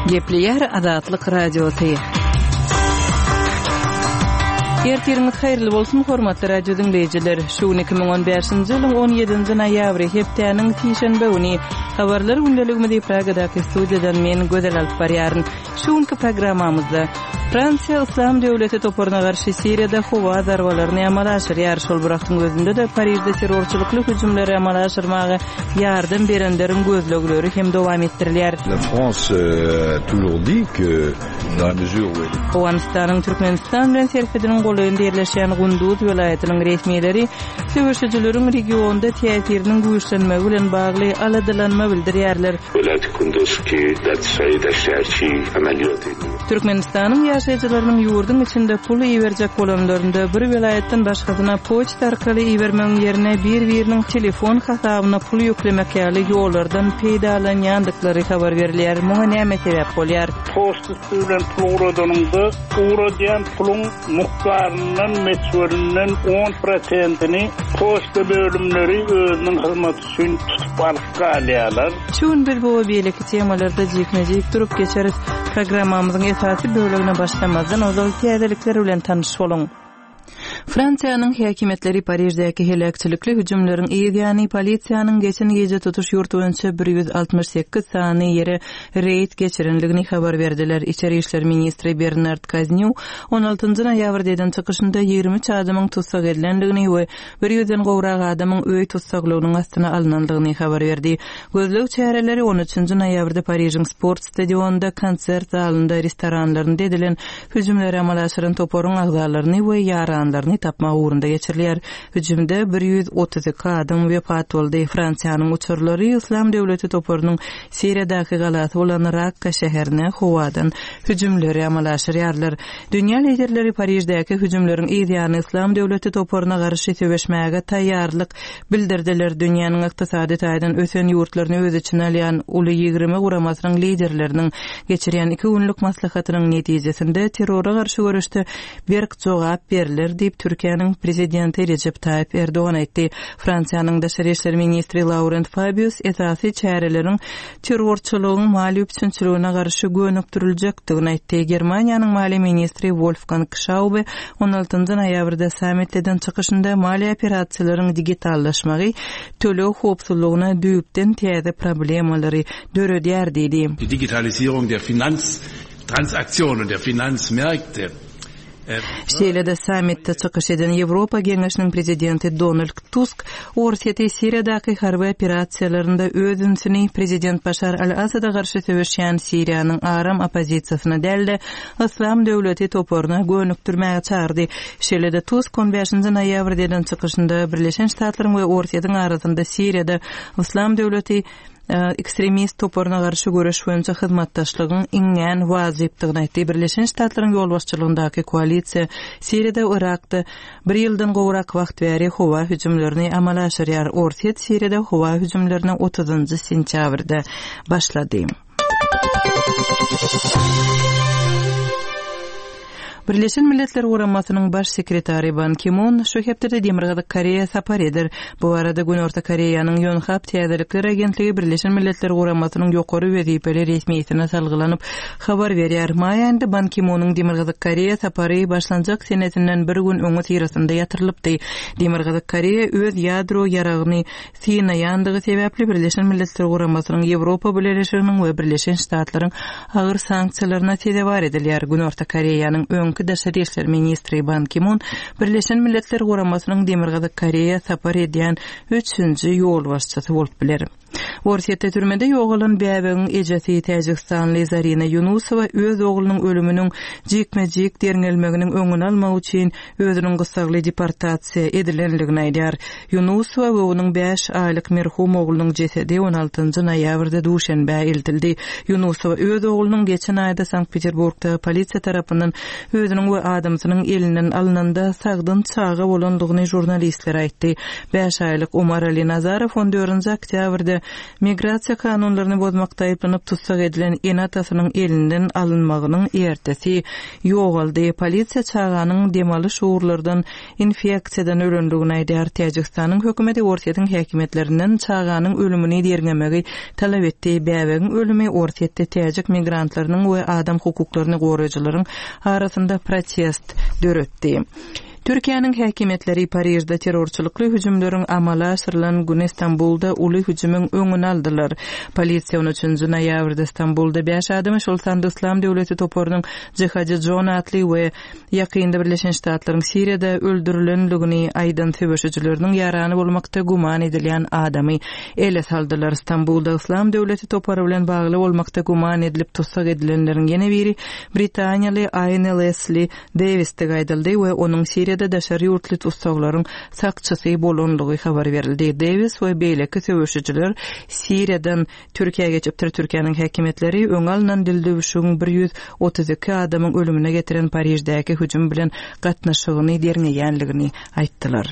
Gepleýär Azatlyk Radiosy. Ertiriňiz haýyrly bolsun, hormatly radio diňleýjiler. Şu gün 2015-nji ýylyň 17-nji noýabry, hepdäniň sişenbe güni. Habarlar gündeligimizi Pragadaky studiýadan men Gözel alyp barýaryn. Şu günki programmamyzda Fransiýa Yslam döwleti toparyna garşy Siriýada howa zarbalaryny amala aşyrýar. Şol bir wagtyň özünde-de Parižde terrorçylykly hüjümleri amala aşyrmaga ýardam berenleriň gözlegleri hem dowam etdirilýär. La France a toujours dit que dans la mesure où elle Owganystanyň Türkmenistan bilen serhediniň golaýynda ýerleşýän Gunduz welaýatynyň resmileri söweşijileriň regionda täsiriniň güýçlenmegi bilen bagly aladalanma bildirýärler. Türkmenistanyň ýaşaýjylarynyň ýurduň içinde pul iberjek bolanlarynda bir welaýatdan başgasyna poçta arkaly ibermegiň ýerine bir-biriniň telefon hasabyna pul ýüklemek ýaly ýollardan peýdalanýandyklary habar berilýär. Muňa näme sebäp bolýar? Poçta üsti bilen pul ugradanyňda, ugradýan puluň mukdaryndan, möçberinden on prosentini poçta bölümleri özüniň hyzmaty üçin tutup alyp galýarlar. Şu gün biz bu we beýleki temalarda jikme-jik durup geçeris. Programmamyzyň esasy bölegine başlamazdan ozal täzelikler bilen tanyş boluň. Fransiýanyň häkimiýetleri Pariždäki heläkçilikli hüjümleriň yz ýany polisiýanyň geçen gije tutuş ýurt boýunça 168 sany ýere reýd geçirendigini habar berdiler. Içeri işler ministri Bernard Kaznýu on altynjy noýabrda eden çykyşynda 23 adamyň tussag edilendigini we bir ýüzden gowrak adamyň öý tussaglygynyň astyna alnandygyny habar berdi. Gözleg çäreleri on üçünji noýabrda Parižiň sport stadionynda, konsert zalynda, restoranlarynda edilen hüjümleri amala aşyran toparyň agzalaryny we ýaranlaryny tapmak ugrunda geçirilýär. Hüjümde 132 adam wepat boldy. Fransiýanyň uçarlary Yslam döwleti toparynyň Siriýadaky galasy bolan Rakka şäherine howadan hüjümleri amala aşyrýarlar. Dünýä liderleri Pariždäki hüjümleriň yz ýany Yslam döwleti toparyna garşy söweşmäge taýýarlyk bildirdiler. Dünýäniň ykdysady taýdan ösen ýurtlaryny öz içine alýan Uly 20 guramasynyň liderleriniň geçirýän iki günlük maslahatynyň netijesinde terrora garşy göreşde berk jogap berler diýip, Türkiýäniň Prezidenti Rejep Taýyp Erdogan aýtdy. Fransiýanyň daşary işler ministri Laurent Fabius esasy çäreleriň terrorçylygyň maliýe üpjünçiligine garşy gönükdiriljekdigini aýtdy. Germaniýanyň maliýe ministri Wolfgang Şaube on altynjy noýabrda sammitde eden çykyşynda maliýe operasiýalaryň digitallaşmagy töleg howpsuzlygyna düýpden täze problemalary döredýär diýdi. Die Digitalisierung der Finanztransaktionen, der Finanzmärkte Şeýle-de sammitde çykyş eden Ýewropa Geňeşiniň Prezidenti Donald Tusk Orsýeti Siriýadaky harby operasiýalarynda öz ünsüni prezident Başar al-Asada garşy söweşýän Siriýanyň aram oppozisiýasyna däl-de, Yslam döwleti toparyna gönükdirmäge çagyrdy. Şeýle-de Tusk on bäşinji noýabrda eden çykyşynda Birleşen Ştatlaryň we Orsýetiň arasynda Siriýada Yslam döwleti ekstremist toparyna garşy göreş boýunça hyzmatdaşlygyň iňňän wajypdygyny aýtdy. Birleşen Ştatlaryň ýolbaşçylygyndaky koalisiýa Siriýada we Yrakda bir ýyldan gowrak wagt bäri howa hüjümlerini amala aşyrýar. Orsýet Siriýada howa hüjümlerine otuzynjy sentýabrda başlady. Birleşen Milletler Guramasynyň Baş sekretary Ban Ki Mun şu hepdede Demirgazyk Koreýa sapar eder. Bu barada Günorta Koreýanyň Ýonhap täzelikler agentligi Birleşen Milletler Guramasynyň ýokary wezipeli resmisine salgylanyp habar berýär. Maý aýynda Ban Ki Munyň Demirgazyk Koreýa sapary başlanjak senesinden bir gün öňüsyrasynda ýatyrylypdy. Demirgazyk Koreýa öz ýadro ýaragyny synaýandygy sebäpli Birleşen Milletler Guramasynyň, Ýewropa Bileleşiginiň we Birleşen Ştatlaryň agyr sanksiýalaryna sezewar edilýär. Günorta Koreýanyň öňki daşary işler ministri Ban Ki Mun Birleşen Milletler Guramasynyň Demirgazyk Koreýa sapar edýän üçünji ýolbaşçysy bolup biler. Orsýetde türmede ýogalan bäbegiň ejesi täjigistanly Zarina Ýunusowa öz oglunyň ölüminiň jikme-jik derňelmeginiň öňüni almak üçin özüniň gyssagly deportasiýa edilendigini aýdýar. Ýunusowa we onuň bäş aýlyk merhum oglunyň jesedi on altynjy noýabrda Duşenbä eltildi. Ýunusowa öz oglunyň geçen aýda Sankt-Peterburgda polisiýa tarapyndan özüniň we adamsynyň elinden alnanda sagdyn çaga bolandygyny žurnalistlere aýtdy. Bäş aýlyk Umarali Nazarow on dördünji oktýabrda. Migrasiýa kanunlaryny bozmakda aýyplanyp tussag edilen ene-atasynyň elinden alynmagynyň ertesi ýogaldy. Polisiýa çaganyň dem alyş ugurlardan infeksiýadan ölendigini aýdýar. Täjigistanyň hökümeti Orsýetiň häkimiýetlerinden çaganyň ölümini derňemegi talap etdi. Bäbegiň ölümi Orsýetde täjik migrantlarynyň we adam hukuklaryny goraýjylaryň arasynda protest döretdi. Türkiýäniň häkimiýetleri Parižde terrorçylykly hüjümleriň amala aşyrylan güni Stambulda uly hüjümiň öňüni aldylar. Polisiýa on üçünji noýabrda Stambulda bäş adamy, şol sanda Yslam döwleti toparynyň Jihadi Jon atly we ýakynda Birleşen Ştatlaryň Siriýada öldürilenligini aýdan söweşijileriniň ýarany bolmakda güman edilýän adamy ele saldylar. Stambulda Yslam döwleti topary bilen bagly bolmakda güman edilip tussag edilenleriň ýene biri britaniýaly Aýne Lesli Dewisdigi aýdyldy we onuň Siriýada daşary ýurtly tussaglaryň sakçysy bolanlygy habar berildi. Dewis we beýleki söweşijiler Siriýadan Türkiýä geçipdir. Türkiýäniň häkimiýetleri öňi alnan dildüwşügiň 132 adamyň ölümine getiren Pariždäki hüjüm bilen gatnaşygyny derňeýänligini aýtdylar.